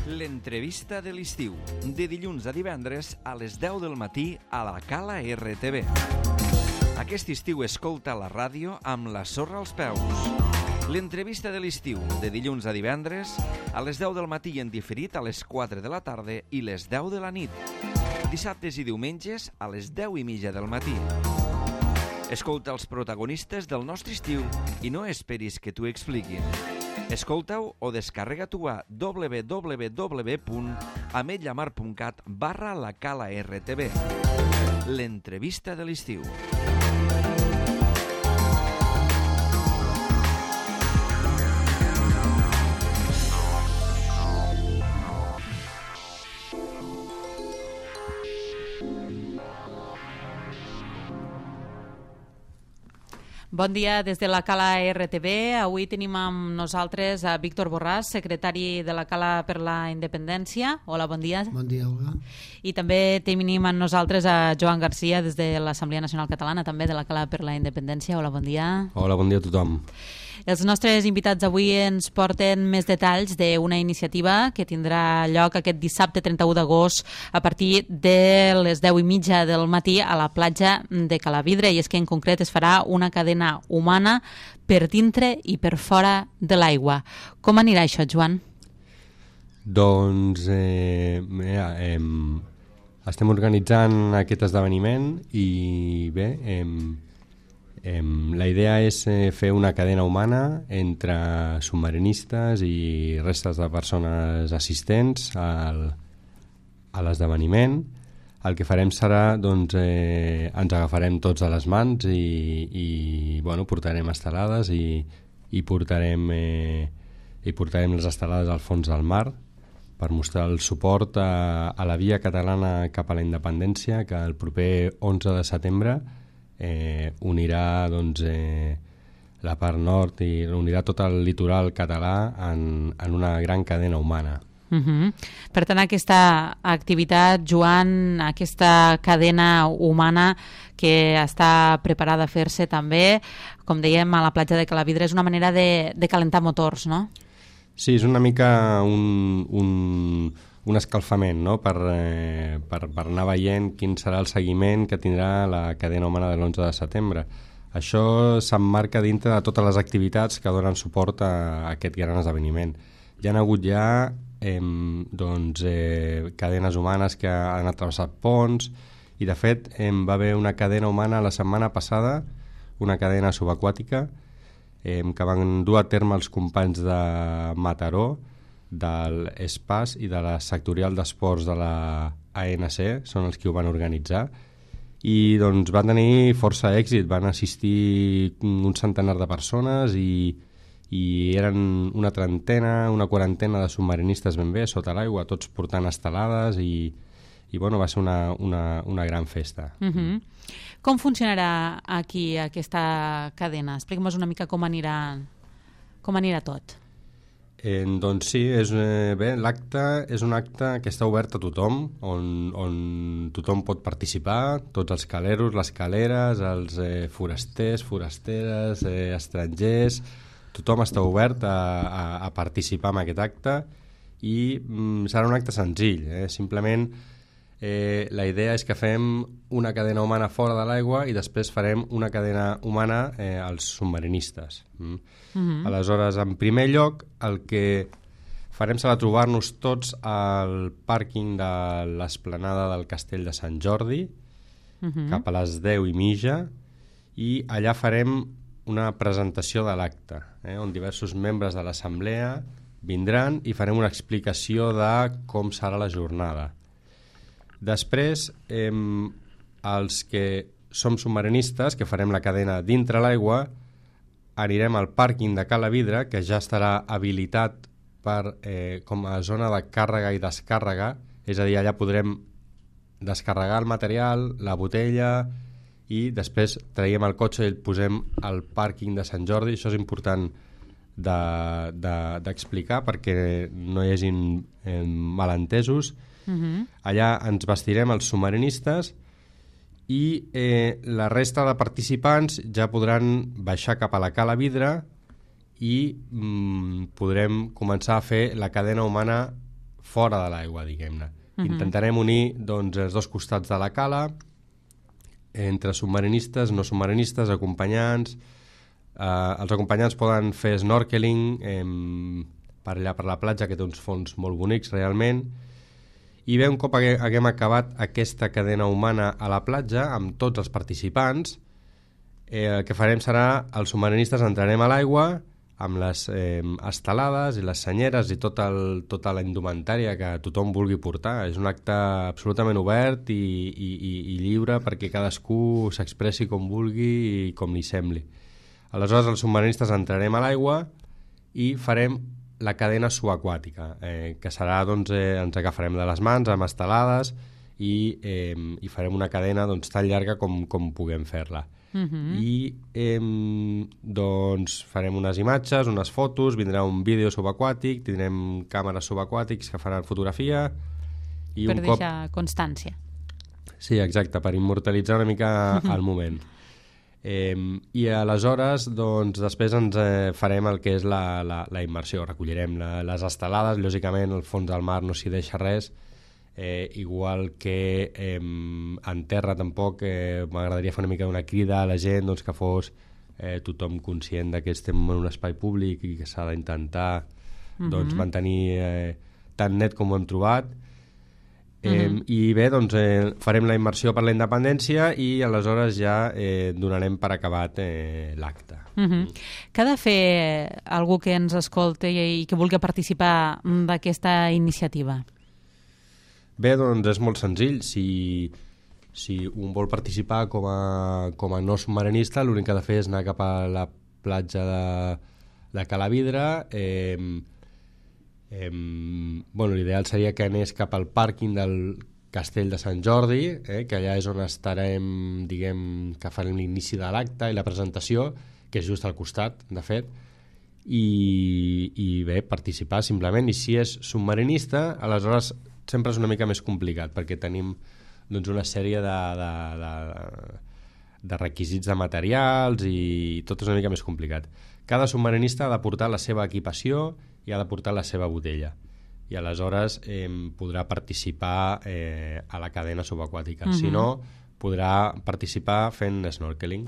L'entrevista de l'estiu, de dilluns a divendres a les 10 del matí a la Cala RTV. Aquest estiu escolta la ràdio amb la sorra als peus. L'entrevista de l'estiu, de dilluns a divendres a les 10 del matí i en diferit a les 4 de la tarda i les 10 de la nit. Dissabtes i diumenges a les 10:30 del matí. Escolta els protagonistes del nostre estiu i no esperis que t'ho expliquin. Escolta-ho o descarrega-t'ho a www.ametlllamar.cat/la Cala RTV. L'entrevista de l'estiu. Bon dia des de la Cala RTV. Avui tenim amb nosaltres a Víctor Borràs, secretari de la Cala per la Independència. Hola, bon dia. Bon dia, Olga. I també tenim amb nosaltres a Joan Garcia des de l'Assemblea Nacional Catalana, també de la Cala per la Independència. Hola, bon dia. Hola, bon dia a tothom. Els nostres invitats avui ens porten més detalls d'una iniciativa que tindrà lloc aquest dissabte 31 d'agost a partir de les 10:30 del matí a la platja de Calavidra, i és que en concret es farà una cadena humana per dintre i per fora de l'aigua. Com anirà això, Joan? Doncs estem organitzant aquest esdeveniment i bé, la idea és fer una cadena humana entre submarinistes i restes de persones assistents a l'esdeveniment. El que farem serà, doncs, ens agafarem tots a les mans i bueno, portarem estelades i portarem les estelades al fons del mar per mostrar el suport a la via catalana cap a la independència, que el proper 11 de setembre unirà, doncs, la part nord i unirà tot el litoral català en una gran cadena humana. Per tant, aquesta activitat, Joan, aquesta cadena humana que està preparada a fer-se també, com dèiem, a la platja de Calavidra, és una manera de calentar motors, no? Sí, és una mica un escalfament, no? per anar veient quin serà el seguiment que tindrà la cadena humana de l'11 de setembre. Això s'emmarca dintre de totes les activitats que donen suport a aquest gran esdeveniment. Hi ha hagut cadenes humanes que han atravessat ponts i, de fet, va haver una cadena humana la setmana passada, una cadena subaquàtica que van dur a terme els companys de Mataró, de l'ESPAS i de la sectorial d'esports de la ANC, són els que ho van organitzar, i doncs van tenir força èxit. Van assistir un centenar de persones i eren una trentena, una quarantena de submarinistes ben bé sota l'aigua, tots portant estelades i bueno, va ser una gran festa. Com funcionarà aquí aquesta cadena? Explica'm una mica com anirà tot. Doncs sí, l'acte és un acte que està obert a tothom, on tothom pot participar, tots els caleros, les caleres, els forasters, forasteres, estrangers, tothom està obert a participar en aquest acte i serà un acte senzill, simplement la idea és que fem una cadena humana fora de l'aigua i després farem una cadena humana als submarinistes. Aleshores, en primer lloc, el que farem serà trobar-nos tots al pàrquing de l'esplanada del Castell de Sant Jordi cap a les 10:30 i allà farem una presentació de l'acte, on diversos membres de l'assemblea vindran i farem una explicació de com serà la jornada. Després, els que som submarinistes, que farem la cadena dintre l'aigua, anirem al pàrquing de Calavidra, que ja estarà habilitat com a zona de càrrega i descàrrega, és a dir, allà podrem descarregar el material, la botella, i després traiem el cotxe i el posem al pàrquing de Sant Jordi. Això és important d'explicar perquè no hi hagin malentesos. Allà ens vestirem els submarinistes i la resta de participants ja podran baixar cap a la Cala Vidre i podrem començar a fer la cadena humana fora de l'aigua, diguem-ne. Intentarem unir doncs, els dos costats de la cala, entre submarinistes, no submarinistes, acompanyants. Els acompanyants poden fer snorkeling per allà per la platja, que té uns fons molt bonics realment. I bé, un cop haguem acabat aquesta cadena humana a la platja, amb tots els participants, el que farem serà, els submarinistes entrarem a l'aigua amb les estelades i les senyeres i tota la indumentària que tothom vulgui portar. És un acte absolutament obert i lliure perquè cadascú s'expressi com vulgui i com li sembli. Aleshores, els submarinistes entrarem a l'aigua i farem la cadena subaquàtica, que serà, doncs, ens agafarem de les mans amb estelades i farem una cadena doncs, tan llarga com puguem fer-la. I doncs farem unes imatges, unes fotos, vindrà un vídeo subaquàtic, tindrem càmeres subaquàtics que faran fotografia i per deixar constància. Sí, exacte, per immortalitzar una mica el moment. I aleshores doncs, després ens farem el que és la immersió, recollirem les estelades, lògicament al fons del mar no s'hi deixa res. Igual que en terra tampoc m'agradaria fer una mica una crida a la gent doncs, que fos tothom conscient que estem en un espai públic i que s'ha d'intentar doncs, mantenir tan net com ho hem trobat. I bé, doncs, farem la immersió per la independència i aleshores ja donarem per acabat l'acte. Què ha de fer algú que ens escolti i que vulgui participar d'aquesta iniciativa? Bé, doncs és molt senzill. Si un vol participar com a no submarinista, l'únic que ha de fer és anar cap a la platja de Calavidra. L'ideal seria que anés cap al pàrquing del Castell de Sant Jordi, que allà és on estarem, diguem, que farem l'inici de l'acte i la presentació, que és just al costat, de fet. I bé, participar simplement. I si és submarinista, aleshores sempre és una mica més complicat perquè tenim doncs, una sèrie de requisits de materials i tot és una mica més complicat. Cada submarinista ha de portar la seva equipació i ha de portar la seva botella i aleshores podrà participar a la cadena subaquàtica. Si no, podrà participar fent snorkeling.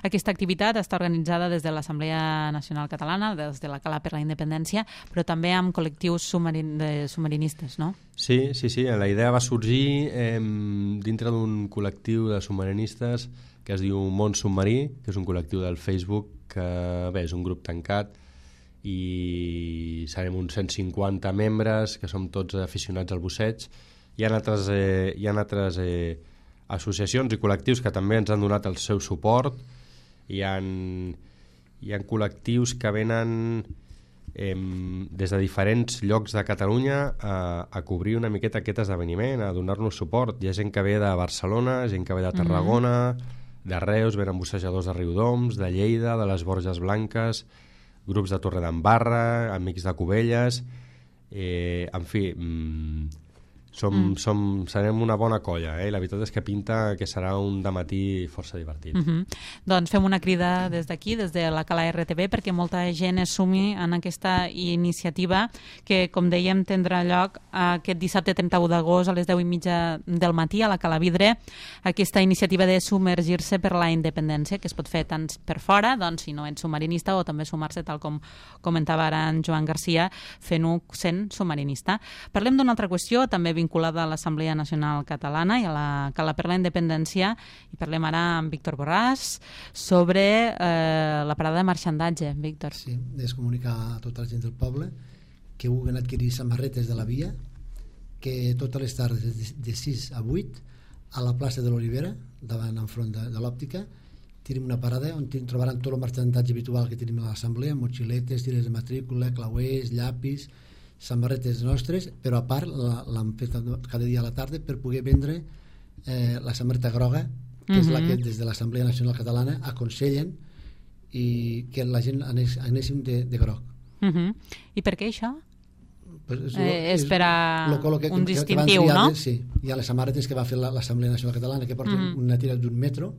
Aquesta activitat està organitzada des de l'Assemblea Nacional Catalana, des de la Cala per la Independència, però també amb col·lectius submarinistes, no? Sí. La idea va sorgir dintre d'un col·lectiu de submarinistes que es diu Món Submarí, que és un col·lectiu del Facebook que bé, és un grup tancat i serem uns 150 membres que som tots aficionats al busseig. Hi ha altres associacions i col·lectius que també ens han donat el seu suport. Hi ha col·lectius que venen des de diferents llocs de Catalunya a cobrir una miqueta aquest esdeveniment, a donar-nos suport. Hi ha gent que ve de Barcelona, gent que ve de Tarragona, de Reus, venen bussejadors de Riudoms, de Lleida, de les Borges Blanques, grups de Torredembarra, amics de Cubelles, en fi, serem una bona colla, i la veritat és que pinta que serà un dematí força divertit. Doncs fem una crida des d'aquí, des de la Cala RTV, perquè molta gent es sumi en aquesta iniciativa que, com dèiem, tindrà lloc aquest dissabte 31 d'agost a les 10:30 del matí a la Cala Vidre, aquesta iniciativa de submergir-se per la independència, que es pot fer tant per fora, doncs, si no ets submarinista, o també sumar-se, tal com comentava ara en Joan Garcia, fent-ho sent submarinista. Parlem d'una altra qüestió, també vinculada a l'Assemblea Nacional Catalana i a la Cala per la Independència, i parlem ara amb Víctor Borràs sobre la parada de marxandatge. Víctor. Sí, és comunicar a tota la gent del poble que vulguin adquirir samarretes de la via, que totes les tardes de 6 a 8 a la plaça de l'Olivera, davant enfront de l'òptica, tenim una parada on trobaran tot el marxandatge habitual que tenim a l'assemblea, motxiletes, tires de matrícula, clauers, llapis, samarretes nostres, però a part l'han fet cada dia a la tarda per poder vendre la samarreta groga, que és la que des de l'Assemblea Nacional Catalana aconsellen i que la gent anéssim de groc. I per què això? És per a un distintiu, no? Sí, hi ha les samarretes que va fer l'Assemblea Nacional Catalana que porten una tira d'un metro,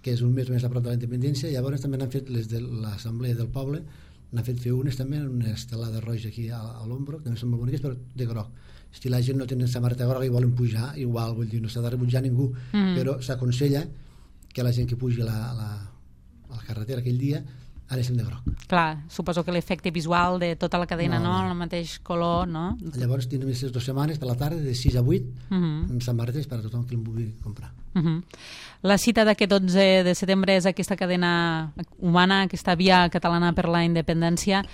que és un metro més a prop de la independència, i llavors també han fet les de l'Assemblea del Poble, N'han fet fer unes també, una estelada roja aquí a l'ombro, que també són molt boniques, però de groc. Si la gent no tenen samarreta groga i volen pujar, igual, vull dir, no s'ha de rebutjar ningú, però s'aconsella que la gent que pugi a la carretera aquell dia anéssim de groc. Clar, suposo que l'efecte visual de tota la cadena, no? El mateix color, no? Llavors tindrem aquestes 2 setmanes per la tarda, de 6 a 8, amb samarretes per a tothom que en vulgui comprar. La cita d'aquest 11 de setembre és aquesta cadena humana, aquesta via catalana per la independència.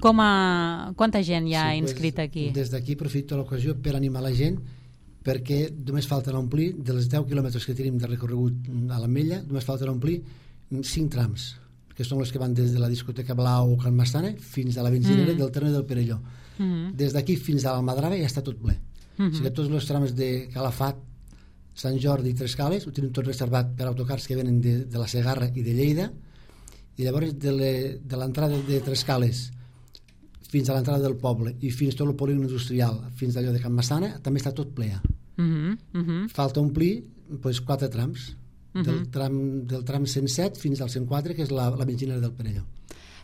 Quanta gent hi ha inscrita aquí? Des d'aquí aprofito l'ocasió per animar la gent, perquè només falten omplir, dels 10 quilòmetres que tenim de recorregut a l'Ametlla, només falten omplir 5 trams, que són els que van des de la discoteca Blau o Can Massana fins a la benzinera del terme del Perelló. Des d'aquí fins a l'Almadrava ja està tot ple. O sigui, tots els trams de Calafat, Sant Jordi i Trescales ho tenim tot reservat per autocars que venen de la Segarra i de Lleida, i llavors de l'entrada de Trescales fins a l'entrada del poble i fins tot el polígon industrial, fins allò de Can Massana, també està tot ple. Falta omplir 4 trams, del tram 107 fins al 104, que és la benzinera del Perelló.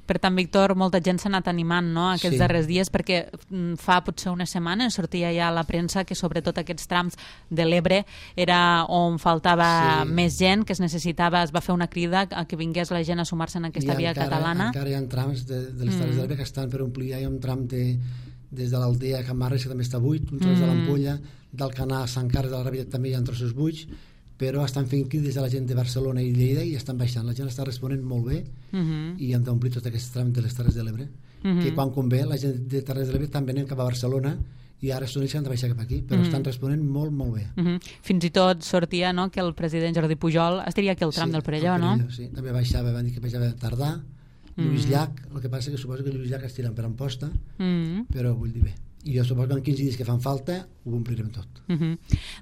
Per tant, Víctor, molta gent s'ha anat animant, no?, aquests darrers dies, perquè fa potser unes setmanes sortia ja a la premsa que sobretot aquests trams de l'Ebre era on faltava més gent, que es va fer una crida a que vingués la gent a sumar-se en aquesta via catalana. Encara hi ha trams de les Terres de l'Ebre que estan per omplir. Hi ha un tram des de l'Aldea a Can Marres, que també està buit, un tros de l'Ampolla, d'Alcanar a Sant Carles de la Ràbia també hi ha trossos buits, però estan fent crides a la gent de Barcelona i Lleida i estan baixant. La gent està responent molt bé i hem d'omplir tot aquest tram de les Terres de l'Ebre, que quan convé la gent de Terres de l'Ebre també anem cap a Barcelona i ara són ells que han de baixar cap aquí, però estan responent molt, molt bé. Fins i tot sortia, no?, que el president Jordi Pujol estaria aquí al tram del Perelló, no? Sí, també baixava, van dir que baixava Tardà, Lluís Llach, el que passa que suposo que Lluís Llach es tiren per Amposta, però vull dir bé. I jo suposo que en 15 dies que fan falta ho omplirem tot.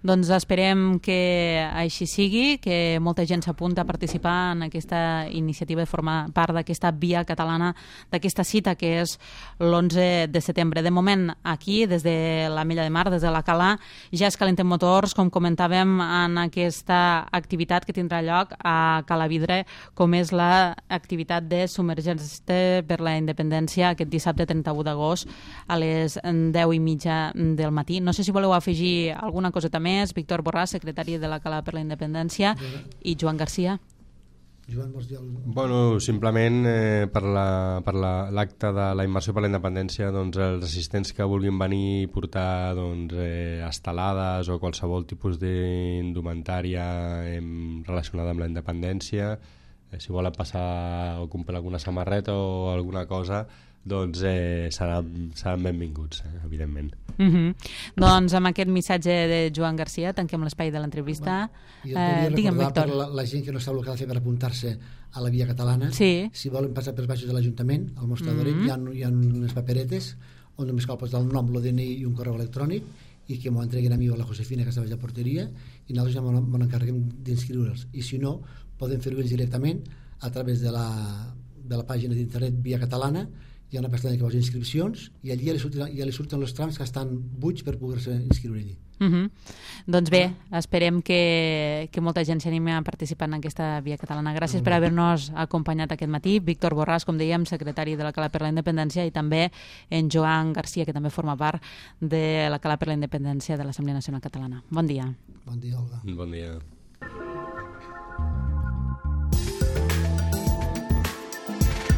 Doncs esperem que així sigui, que molta gent s'apunta a participar en aquesta iniciativa, de formar part d'aquesta via catalana, d'aquesta cita que és l'11 de setembre. De moment, aquí, des de l'Ametlla de Mar, des de la Cala, ja es calenten motors, com comentàvem, en aquesta activitat que tindrà lloc a Calavidre, com és l'activitat de Submergents per la Independència aquest dissabte 31 d'agost a les 10:30 del matí. No sé si voleu afegir alguna coseta més. Víctor Borràs, secretari de la Cala per la Independència, i Joan Garcia. Joan, vols dir alguna cosa? Bueno, simplement per l'acte de la immersió per la independència, doncs, els assistents que vulguin venir i portar estelades o qualsevol tipus d'indumentària relacionada amb la independència, si volen passar o comprar alguna samarreta o alguna cosa, doncs seran benvinguts, evidentment. Doncs amb aquest missatge de Joan Garcia tanquem l'espai de l'entrevista. Digue'm, Víctor. Per la gent que no sap el que ha de fer per apuntar-se a la via catalana, si volen passar pels baixos de l'Ajuntament, al Mostradoret, hi ha unes paperetes on només cal posar el nom, el DNI i un correu electrònic i que m'ho entreguin a mi o a la Josefina, que està a la porteria, i nosaltres ja m'ho encarreguem d'inscriure'ls. I si no, poden fer-ho ells directament a través de la pàgina d'internet Via Catalana. Hi ha una pestanya que posa inscripcions i allí ja li surten els trams que estan buits per poder-se inscriure allí. Doncs bé, esperem que molta gent s'animi a participar en aquesta via catalana. Gràcies per haver-nos acompanyat aquest matí. Víctor Borràs, com dèiem, secretari de la Cala per la Independència, i també en Joan Garcia, que també forma part de la Cala per la Independència de l'Assemblea Nacional Catalana. Bon dia. Bon dia, Olga. Bon dia.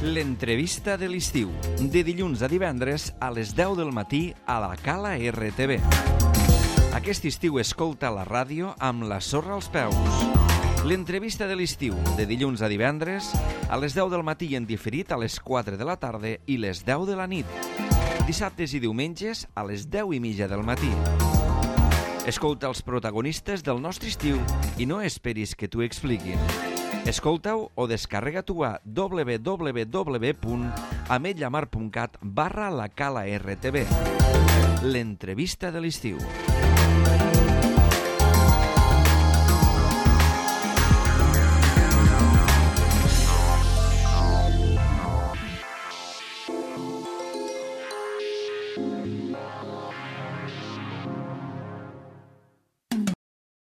L'entrevista de l'estiu, de dilluns a divendres a les 10 del matí a la Cala RTV. Aquest estiu escolta la ràdio amb la sorra als peus. L'entrevista de l'estiu, de dilluns a divendres a les 10 del matí en diferit a les 4 de la tarda i les 10 de la nit. Dissabtes i diumenges a les 10:30 del matí. Escolta els protagonistes del nostre estiu i no esperis que t'ho expliquin. Escolta-ho o descarrega-t'ho a www.ametlamar.cat/la Cala RTV. L'entrevista de l'estiu.